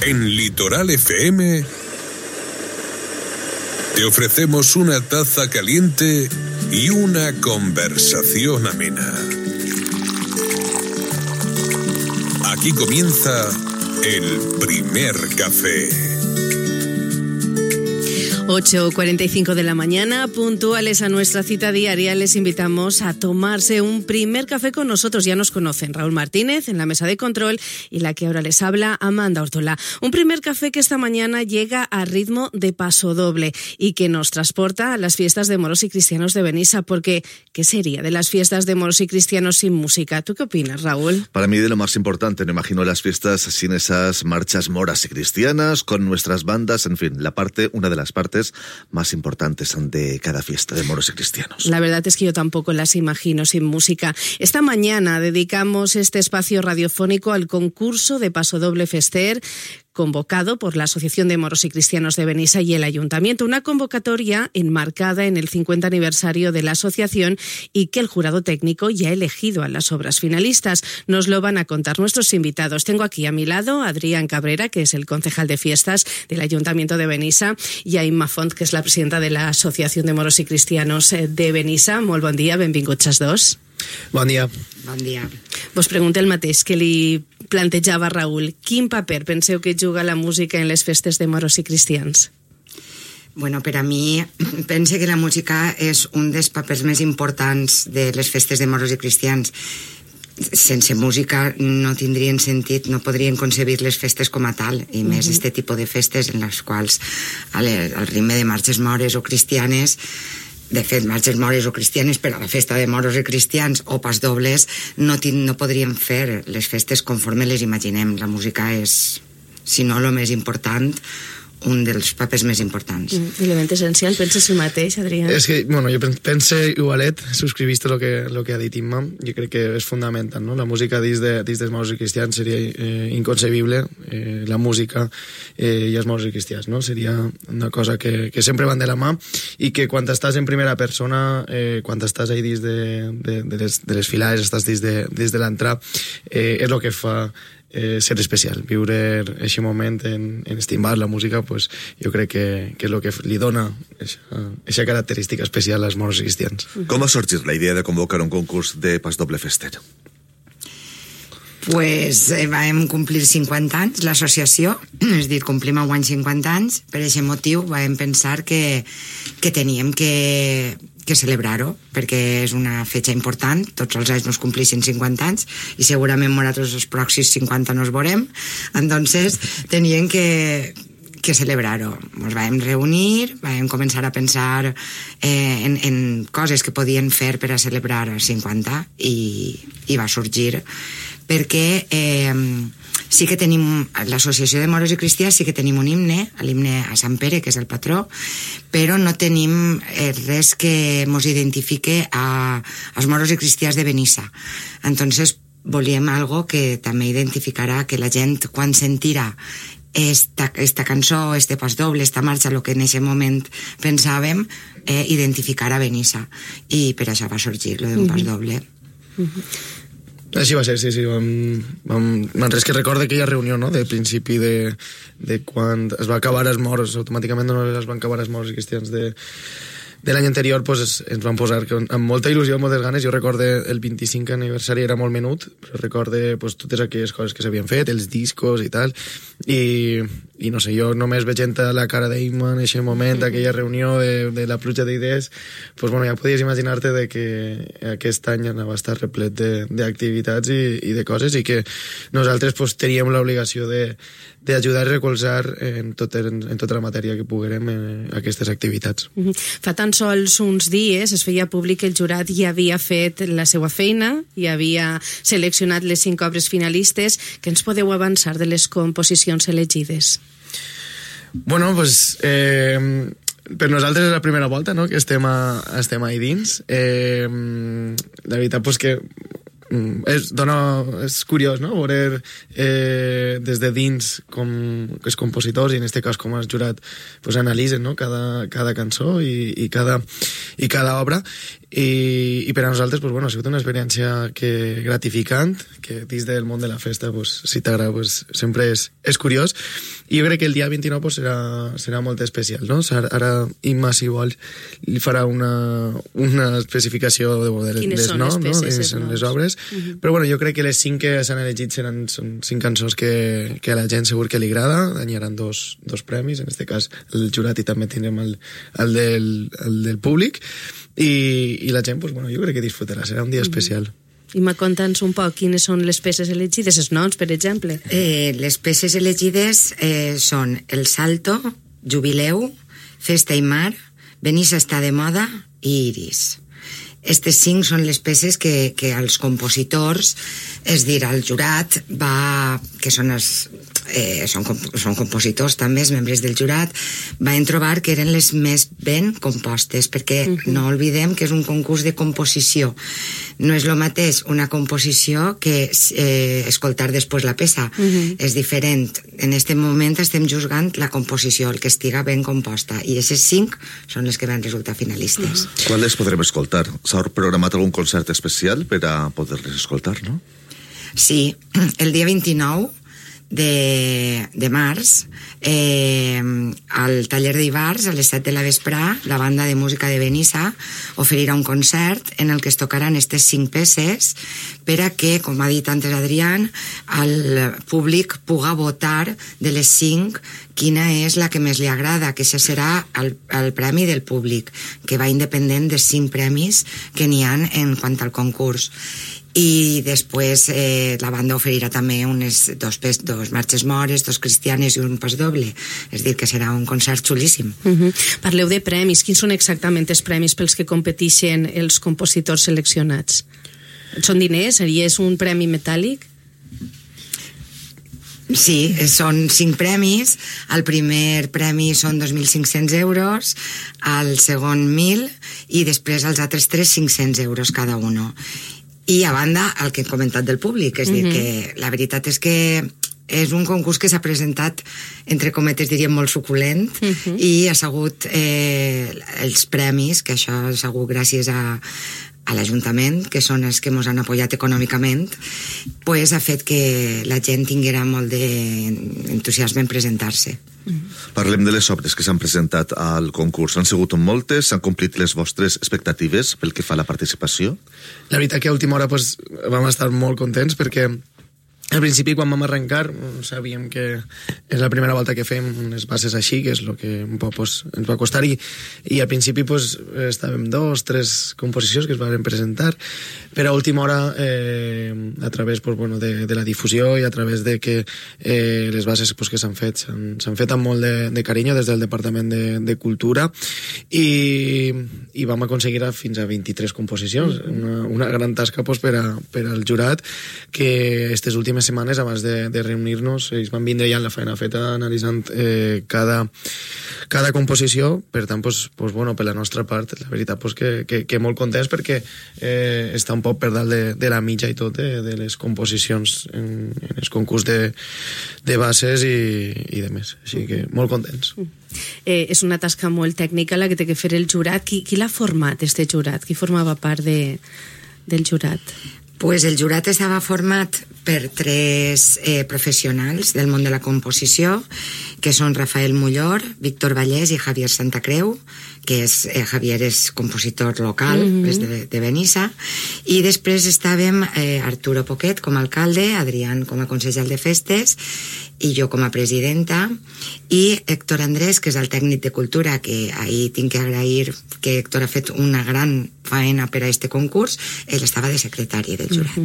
En Litoral FM te ofrecemos una taza caliente y una conversación amena. Aquí comienza el primer café. 8:45 de la mañana, puntuales a nuestra cita diaria, les invitamos a tomarse un primer café con nosotros. Ya nos conocen, Raúl Martínez en la mesa de control y la que ahora les habla, Amanda Ortola. Un primer café que esta mañana llega a ritmo de pasodoble y que nos transporta a las fiestas de moros y cristianos de Benissa, porque ¿qué sería de las fiestas de moros y cristianos sin música? ¿Tú qué opinas, Raúl? Para mí de lo más importante, me imagino las fiestas sin esas marchas moras y cristianas, con nuestras bandas, en fin, una de las partes más importantes de cada fiesta de moros y cristianos. La verdad es que yo tampoco las imagino sin música. Esta mañana dedicamos este espacio radiofónico al concurso de Pasodoble Fester, convocado por la Asociación de Moros y Cristianos de Benissa y el Ayuntamiento. Una convocatoria enmarcada en el 50 aniversario de la asociación y que el jurado técnico ya ha elegido a las obras finalistas. Nos lo van a contar nuestros invitados. Tengo aquí a mi lado a Adrián Cabrera, que es el concejal de fiestas del Ayuntamiento de Benissa, y a Imma Font, que es la presidenta de la Asociación de Moros y Cristianos de Benissa. Molt bon dia, benvinguts els dos. Bon dia. Bon dia. Vos pregunto el mateix que li plantejava Raúl. Quin paper penseu que juga la música en les festes de moros i cristians? Bueno, per a mi, pense que la música és un dels papers més importants de les festes de moros i cristians. Sense música no tindrien sentit, no podrien concebir les festes com a tal, i més este tipus de festes en les quals al ritme de marxes mores o cristianes, de fet, marxes mores o cristianes per a la festa de moros i cristians o pasdobles, no podríem fer les festes conforme les imaginem. La música és, si no el més important, un dels papers més importants. Element essencial, penses el mateix, Adrián? És que, bueno, jo pense igualet, subscriviste lo que ha dit Imma, jo crec que és fonamental, no? La música dins dels moros i cristians seria inconcebible, la música i els moros i cristians, no? Seria una cosa que sempre van de la mà i que quan estàs en primera persona, quan estàs ahí dins de les filades, estàs dins de l'entrar, és el que fa ser especial, viure aquest moment en estimar la música, pues, jo crec que és el que li dona aquesta característica especial als moros i cristians. Com ha sorgit la idea de convocar un concurs de Pasodoble Fester? Pues vam complir 50 anys l'associació, és a dir, complim enguany 50 anys, per aquest motiu vam pensar que teníem que celebrar-ho, perquè és una fetge important, tots els anys nos complixen 50 anys i segurament nosaltres els pròxims 50 nos veurem, entonces teníem que celebrar-ho. Ens vam reunir, vam començar a pensar en coses que podien fer per a celebrar els 50 i va sorgir perquè sí que tenim, l'associació de moros i cristians sí que tenim un himne, l'himne a Sant Pere, que és el patró, però no tenim res que mos identifique als moros i cristians de Benissa. Entonces volíem algo que també identificarà que la gent, quan sentirà esta cançó, este pasdoble, esta marxa, el que en aquest moment pensàvem, identificarà Benissa. I per això va sorgir lo d'un pasdoble. Així va ser, sí. Res que recorde aquella reunió, no?, de principi de quan es va acabar els moros, automàticament no es van acabar els moros i cristians de l'any anterior, pues, ens van posar amb molta il·lusió, amb moltes ganes. Jo recorde el 25 aniversari era molt menut, però recorde pues, totes aquelles coses que s'havien fet, els discos i tal, i no sé, jo només veient la cara d'Imma en aquest moment, aquella reunió de la pluja d'idees, pues, bueno, ja podies imaginar-te de que aquest any anava a estar replet d'activitats i de coses, i que nosaltres pues, teníem l'obligació d'ajudar i recolzar en tota la matèria que poguérem aquestes activitats. Fa tan sols uns dies es feia públic que el jurat ja havia fet la seva feina i havia seleccionat les 5 obres finalistes. Què ens podeu avançar de les composicions elegides? Bueno, pues per nosaltres és la primera volta, no?, que estem ahí dins. La veritat, pues, que és curiós, no?, veure des de dins com els compositors, i en aquest cas com el jurat, pues, analitzen, no?, cada cançó i cada obra, i per a nosaltres, pues, bueno, ha sigut una experiència gratificant, que dins del món de la festa, pues, si t'agrada, pues, sempre és curiós, i jo crec que el dia 29 pues, serà molt especial, no? Ara Imma, si vols, li farà una especificació de quines són les peces, no? Les obres, però bueno, jo crec que les 5 que s'han elegit són 5 cançons que a la gent segur que li agrada, guanyaran dos premis, en aquest cas el jurat, i també tindrem el del públic, i la gent, pues, bueno, jo crec que disfrutarà, serà un dia especial. I conta'ns un poc quines són les peces elegides, els noms, per exemple. Les peces elegides són El Salto, Jubileu, Festa i Mar, Benissa està de moda i Iris. Estes 5 són les peces que els compositors, és dir, el jurat que són compositors també, els membres del jurat, van trobar que eren les més ben compostes, perquè no oblidem que és un concurs de composició. No és el mateix una composició que escoltar després la peça. És diferent. En aquest moment estem juzgant la composició, el que estiga ben composta, i aquestes 5 són les que van resultar finalistes. Quan les podrem escoltar? S'ha programat algun concert especial per a poder-les escoltar, no? Sí, el dia 29 de març, al taller d'Ivars, a les 7 de la vesprà, la banda de música de Benissa oferirà un concert en el que es tocaran aquestes 5 peces per a que, com ha dit antes Adrián, el públic puga votar de les 5 quina és la que més li agrada, que això serà el premi del públic, que va independent dels 5 premis que n'hi ha en quant al concurs. I després la banda oferirà també dos marxes mores, 2 cristianes i un pas doble, és dir, que serà un concert xulíssim. Parleu de premis, quins són exactament els premis pels que competeixen els compositors seleccionats? Són diners? És un premi metàl·lic? Sí, són 5 premis. El primer premi són 2.500 euros, el segon 1.000, i després els altres 3, 500 euros cada un. I a banda, el que he comentat del públic, és dir, que la veritat és que és un concurs que s'ha presentat, entre cometes diríem, molt suculent, i ha sigut els premis, que això ha sigut gràcies a l'Ajuntament, que són els que ens han apoyat econòmicament, pues ha fet que la gent tinguera molt d'entusiasme en presentar-se. Parlem de les obres que s'han presentat al concurs. Han sigut moltes? S'han complit les vostres expectatives pel que fa a la participació? La veritat que a última hora pues, vam estar molt contents perquè al principi, quan vam arrencar, sabíem que és la primera volta que fem unes bases així, que és el que un poc pues, ens va costar, i al principi pues, estàvem 2, 3 composicions que es van presentar, però a última hora, a través pues, bueno, de la difusió i a través de que les bases pues, que s'han fet amb molt de carinyo des del Departament de Cultura, i vam aconseguir fins a 23 composicions, una gran tasca pues, per al jurat, que aquestes últimes setmanes abans de reunir-nos ells van vindre ja en la feina feta analitzant cada composició. Per tant, pues, bueno, per la nostra part la veritat pues, que molt contents perquè està un poc per dalt de la mitja i tot de les composicions en el concurs de bases i de més, així que molt contents. És una tasca molt tècnica la que té que fer el jurat. Qui l'ha format, este jurat? Qui formava part del jurat? Pues el jurat estava format per 3 professionals del món de la composició, que són Rafael Mullor, Víctor Vallès i Javier Santacreu, que Javier és compositor local, és de Benissa, i després estàvem Arturo Poquet com a alcalde, Adrián com a consellal de festes, i jo com a presidenta, i Héctor Andrés, que és el tècnic de cultura, que ahir tinc que agrair que Héctor ha fet una gran faena per a este concurs. Ell estava de secretari del jurat.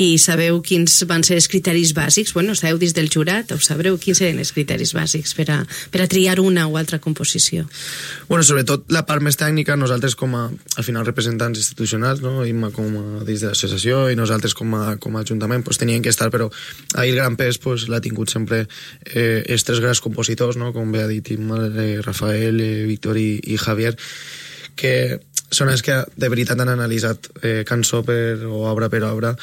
I sabeu quins van ser els criteris bàsics? Bueno, esteu dins del jurat, o sabreu quins eren els criteris bàsics per a triar una o altra composició? Bueno, sobretot la part més tècnica, nosaltres com a, al final, representants institucionals, no? Imma com a dins de l'associació i nosaltres com a ajuntament, pues, tenien que estar, però ahir el gran pes pues, l'ha tingut sempre els 3 grans compositors, no? Com bé ha dit Imma, Rafael, Víctor i Javier, que són els que de veritat han analitzat cançó o obra per obra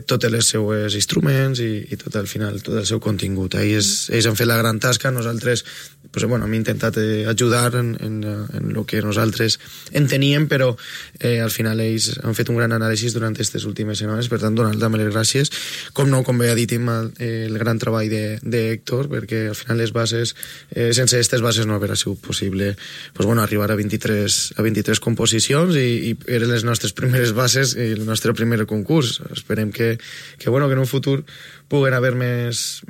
totes les seues instruments i tot al final, tot el seu contingut. Ells han fet la gran tasca, nosaltres pues, bueno, hem intentat ajudar en el que nosaltres enteníem, però al final ells han fet un gran anàlisi durant aquestes últimes setmanes, per tant donar també les gràcies, com bé ha dit el gran treball d'Héctor, perquè al final les bases, sense aquestes bases no hauria sigut possible pues, bueno, arribar a 23 composicions i eren les nostres primeres bases i el nostre primer concurs. Esperem que en un futur puguen haver més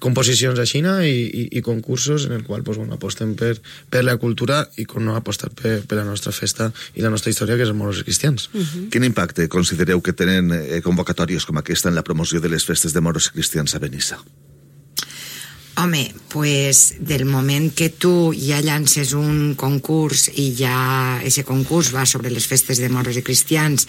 composicions a Xina i concursos en el qual pues, bueno, apostem per la cultura i com no apostar per la nostra festa i la nostra història, que és els moros cristians. Quin impacte considereu que tenen convocatòries com aquesta en la promoció de les festes de moros cristians a Benissa? Home, pues del moment que tu ja llances un concurs i ja ese concurs va sobre les festes de moros i cristians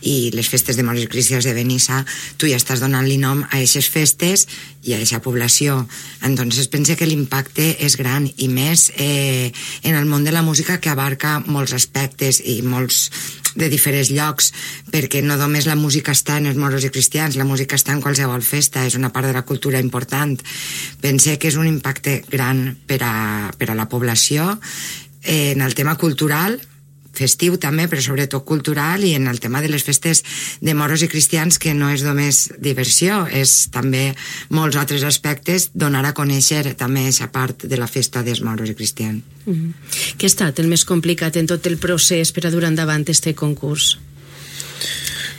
i les festes de moros i cristians de Benissa, tu ja estàs donant-li nom a aquestes festes i a aquesta població. Entonces pense que l'impacte és gran i més en el món de la música, que abarca molts aspectes i molts de diferents llocs, perquè no només la música està en els moros i cristians, la música està en qualsevol festa, és una part de la cultura important. Pense que és un impacte gran per a la població en el tema cultural, festiu també, però sobretot cultural, i en el tema de les festes de moros i cristians, que no és només diversió, és també molts altres aspectes, donar a conèixer també aquesta part de la festa dels moros i cristians. Què ha estat el més complicat en tot el procés per a dur endavant este concurs?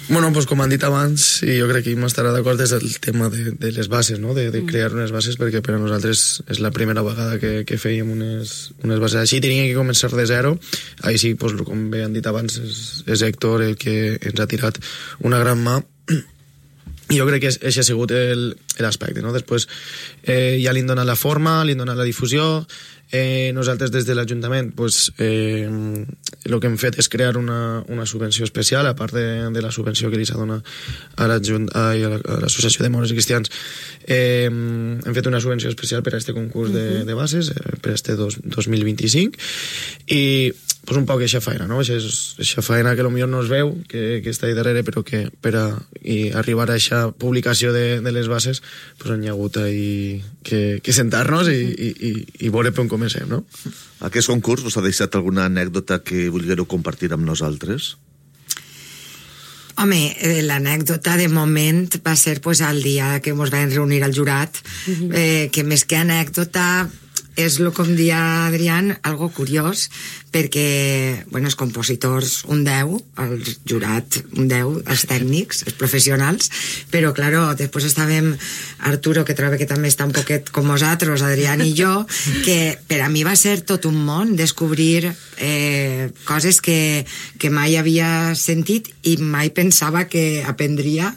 Bueno, pues com han dit abans, i jo crec que m'estarà d'acord, és el tema de les bases, no? de crear unes bases, perquè per a nosaltres és la primera vegada que fèiem unes bases així, teníem que començar de zero. Ahí sí, pues, com bé han dit abans, és Héctor el que ens ha tirat una gran mà, i jo crec que això ha sigut l'aspecte, no? Després ja li han donat la forma, li han donat la difusió. Nosaltres des de l'Ajuntament pues, el que hem fet és crear una subvenció especial, a part de la subvenció que li s'ha donat a l'Associació de Moros i Cristians. Hem fet una subvenció especial per a aquest concurs de bases, per a este 2025, i pues, un poc eixa feina, no? Eixa feina que potser no es veu, que està ahí darrere, però que per a arribar a eixa publicació de les bases pues, han hagut que sentar-nos i veure per on comencem, no? Aquest concurs us ha deixat alguna anècdota que vulgueu compartir amb nosaltres? Home, l'anècdota de moment va ser pues, el dia que ens vam reunir al jurat, que més que anècdota és, com dia Adrián, algo curiós, perquè bueno, els compositors un 10, el jurat un 10, els tècnics, els professionals, però claro, després estàvem Arturo, que trobo que també està un poquet com nosaltres, Adrián i jo, que per a mi va ser tot un món descobrir coses que mai havia sentit i mai pensava que aprendria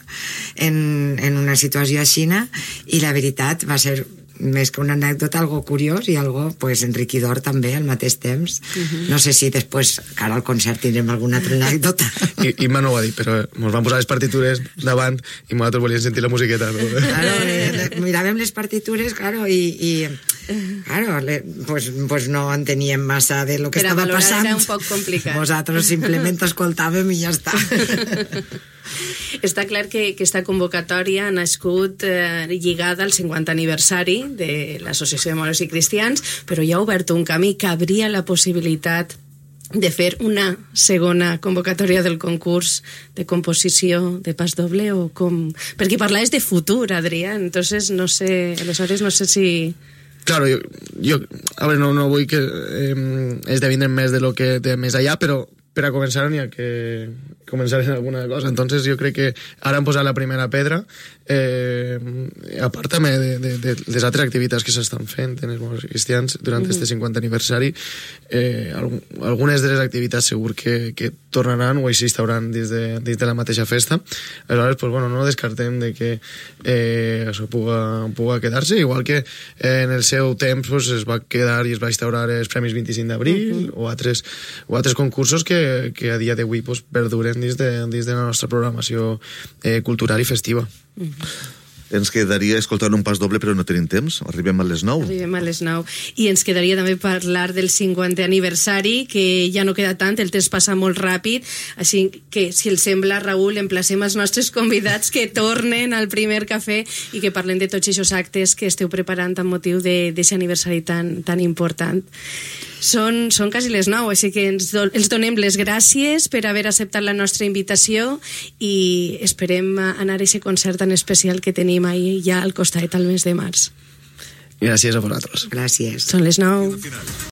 en una situació així, i la veritat va ser més que una anècdota, algo curiós i algo pues, enriquidor també al mateix temps. No sé si després, cara al concert, tindrem alguna altra anècdota. I no ho va dir, però ens van posar les partitures davant i nosaltres volíem sentir la musiqueta. No? Claro, miràvem les partitures, claro, i claro, pues no enteníem massa de lo que estava passant. Era un poc complicat. Nosaltres simplement escoltàvem i ja està. Està clar que aquesta convocatòria ha nascut lligada al 50 aniversari de l'Associació de Moros i Cristians, però ja ha obert un camí que habria la possibilitat de fer una segona convocatòria del concurs de composició de pas doble, o com... Perquè parlaves de futur, Adrián, entonces no sé, aleshores no sé si... Claro, yo a ver, no vull que esdevindre més de lo que té més allà, però per a començar n'hi ha que començar en alguna cosa. Entonces jo crec que ara hem posat la primera pedra, a part també de les altres activitats que s'estan fent en els moros cristians durant este 50 aniversari. Algunes de les activitats segur que tornaran o existauran dins de la mateixa festa. Aleshores, pues, bueno, no descartem de que això puga quedar-se, igual que en el seu temps pues, es va quedar i es va instaurar els Premis 25 d'abril o altres concursos que a dia d'avui pues, perduren dins de la nostra programació cultural i festiva. Ens quedaria escoltant un pas doble, però no tenim temps. Arribem a les 9. Arribem a les 9. I ens quedaria també parlar del 50è aniversari, que ja no queda tant, el temps passa molt ràpid, així que, si els sembla, Raül, emplacem els nostres convidats que tornen al primer cafè i que parlem de tots aquests actes que esteu preparant amb motiu d'aquest aniversari tan important. Són quasi les 9, així que els donem les gràcies per haver acceptat la nostra invitació i esperem anar a aquest concert tan especial que tenim ahir ja al costat al mes de març. Gràcies a vosaltres. Gràcies. Són les 9.